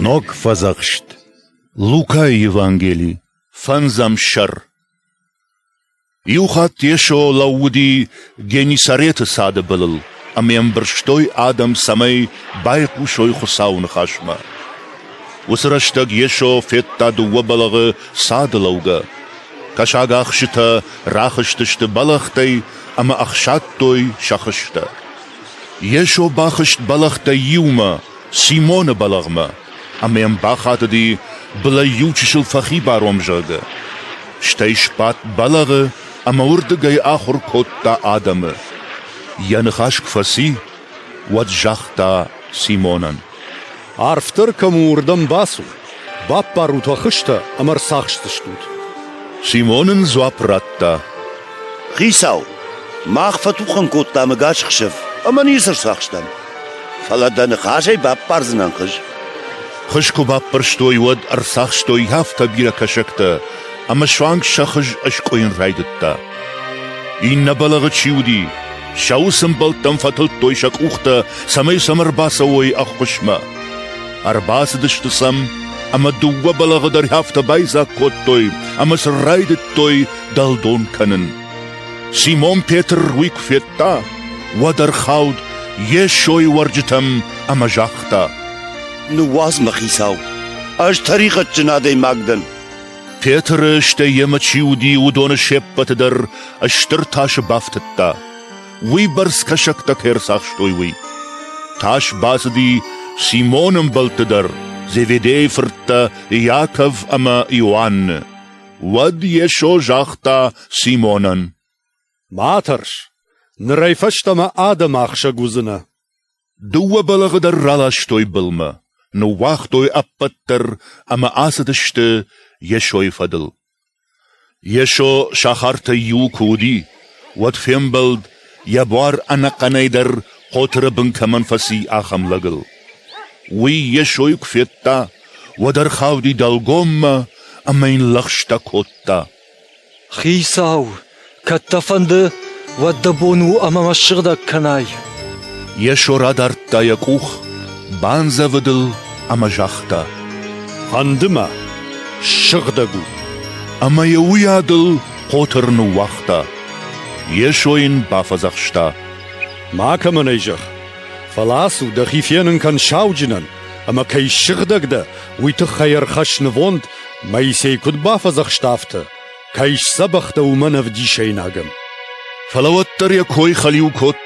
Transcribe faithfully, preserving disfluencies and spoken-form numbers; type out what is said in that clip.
Ног Фӕдзӕхст. Лукайы Евангели, фӕндзӕм сӕр. Иухатт Йесо лӕууыди Геннисареты цады былыл, ӕмӕ йӕм бырстой адӕм, цӕмӕй байхъусой Хуыцауы ныхасмӕ. Уыцы рӕстӕг Йесо федта дыууӕ бӕлӕгъы цады лӕугӕ. Кӕсагахсджытӕ рахызтысты бӕлӕгътӕй ӕмӕ ӕхсадтой сӕ хызтӕ. Йесо бахызт бӕлӕгътӕй иумӕ, Симоны бӕлӕгъмӕ, ӕмӕ йӕм бахатыди, былӕй иу чысыл фӕхибар уӕм, зӕгъгӕ. Стӕй сбадт бӕлӕгъы ӕмӕ уырдыгӕй ахуыр кодта адӕмы. Йӕ ныхас куы фӕци, уӕд загъта Симонӕн: Арфдӕр кӕм у, уырдӕм бацу, баппарут уӕ хызтӕ ӕмӕ ӕрцахсдзыстут. Симон ын дзуапп радта: Хицау, мах фӕтухӕн кодтам ӕгас ӕхсӕв ӕмӕ ницы ӕрцахстам. Фӕлӕ дӕ ныхасӕй баппардзынӕн хыз. Хыз куы баппӕрстой, уӕд ӕрцахстой афтӕ бирӕ кӕсӕгтӕ, ӕмӕ суанг сӕ хыз ӕскъуыйын райдыдта. Иннӕ бӕлӕгъы чи уыди, сӕ уыцы ӕмбӕлттӕм фӕтылдтой сӕ къухтӕ, цӕмӕй сӕм ӕрбацӕуой ӕххуысмӕ. Ӕрбацыдысты сӕм, ӕмӕ дыууӕ бӕлӕгъы дӕр афтӕ байдзаг кодтой, ӕмӕ сын райдыдтой дӕлдон кӕнын. Симон Петр уый куы федта, уӕд ӕрхауд Йесойы уӕрджытӕм ӕмӕ загъта: Ныууадз мӕ, Хицау, ӕз тӕригъӕдджын адӕймаг дӕн. Петры, стӕй йемӕ чи уыди, уыдоны се ппӕты дӕр стыр тасы бафтыдта, уыйбӕрц кӕсӕгтӕ кӕй ӕрцахстой, уый. Тас бацыди Симоны ӕмбӕлтты дӕр, Зеведейы фырттӕ Иаков ӕмӕ Иоанны. Уӕд Йесо загъта Симонӕн: Ма тӕрс, нырӕй фӕстӕмӕ адӕмы ахсӕг уыдзынӕ. Дыууӕ бӕлӕгъы дӕр раластой былмӕ, ныууагътой ӕппӕт дӕр ӕмӕ ацыдысты Йесойы фӕдыл. Йесо сахартӕй иуы куы уыди, уӕд фембӕлд, йӕ буар ӕнӕхъӕнӕй дӕр хъотыры бын кӕмӕн фӕци, ахӕм лӕгыл. Уый Йесойы куы федта, уӕд ӕрхауди дӕлгоммӕ ӕмӕ йын лӕгъстӕ кодта: Хицау, кӕд дӕ фӕнды, уӕд дӕ бон у ӕмӕ мӕ ссыгъдӕг кӕнай. Йесо радардта йӕ къух, бандзӕвыд ыл ӕмӕ загъта: Фӕнды мӕ, ссыгъдӕг у. Ӕмӕ йӕ уыйадыл хъотыр ныууагъта. Йесо йын бафӕдзӕхста: Макӕмӕн ӕй зӕгъ, фӕлӕ ацу, дӕхи фенын кӕн сауджынӕн, ӕмӕ кӕй ссыгъдӕг дӕ, уый тыххӕй ӕрхӕсс нывонд, Моисей куыд бафӕдзӕхста, афтӕ, кӕй сдзӕбӕх дӕ, уымӕн ӕвдисӕйнагӕн. Фӕлӕ уӕддӕр йӕ кой хӕлиу кодта.